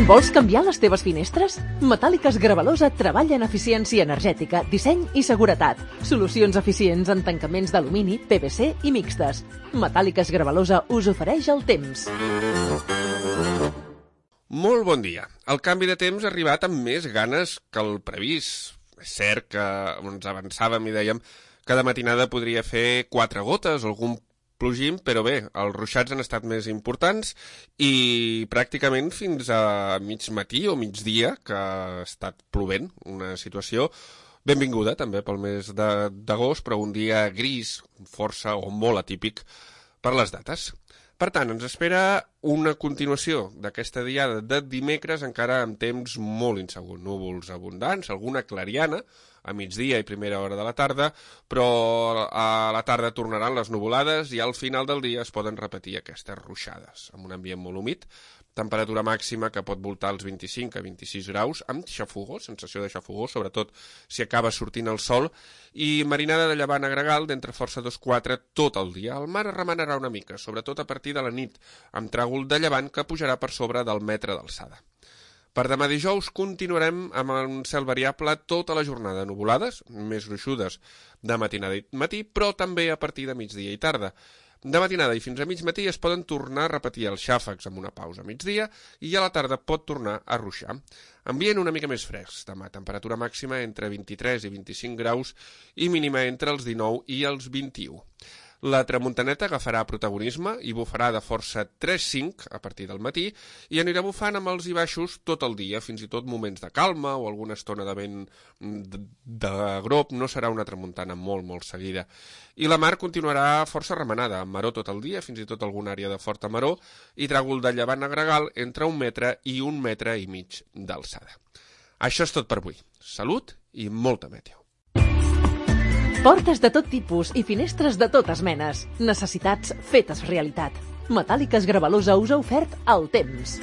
Vols canviar les teves finestres? Metàl·liques Gravalosa treballa en eficiència energètica, disseny i seguretat. Solucions eficients en tancaments d'alumini, PVC i mixtes. Metàl·liques Gravalosa us ofereix el temps. Molt bon dia. El canvi de temps ha arribat amb més ganes que el previst. És cert que ens avançàvem i dèiem que de matinada podria fer 4 gotes o algun plogim, però bé, els ruixats han estat més importants i pràcticament fins a mig matí o migdia que ha estat plovent, una situació benvinguda també pel mes d'agost, però un dia gris, força o molt atípic per les dates. Per tant, ens espera una continuació d'aquesta diada de dimecres encara amb temps molt insegur. Núvols abundants, alguna clariana a migdia i primera hora de la tarda, però a la tarda tornaran les nuvolades i al final del dia es poden repetir aquestes ruixades, amb un ambient molt humit, temperatura màxima que pot voltar als 25 a 26 graus, amb xafogor, sensació de xafogor, sobretot si acaba sortint el sol, i marinada de llevant a gregal d'entre força 2-4 tot el dia. El mar es remenarà una mica, sobretot a partir de la nit, amb tràgol de llevant que pujarà per sobre del metre d'alçada. Per demà dijous continuarem amb un cel variable tota la jornada, nuvolades, més gruixudes de matinada i matí, però també a partir de migdia i tarda. De matinada i fins a mig matí es poden tornar a repetir els xàfecs amb una pausa a migdia i a la tarda pot tornar a ruixar. Ambient una mica més fresc, demà temperatura màxima entre 23 i 25 graus i mínima entre els 19 i els 21. La tramuntaneta agafarà protagonisme i bufarà de força 3-5 a partir del matí i anirà bufant amb els i baixos tot el dia, fins i tot moments de calma o alguna estona de vent de grop, no serà una tramuntana molt seguida. I la mar continuarà força remenada, amb maró tot el dia, fins i tot alguna àrea de forta maró, i tràgol de llevant a gregal entre 1 metre i 1 metre i mig d'alçada. Això és tot per avui. Salut i molta meteo. Portes de tot tipus i finestres de totes menes. Necessitats fetes realitat. Metàl·liques Gravalosa us ha ofert el temps.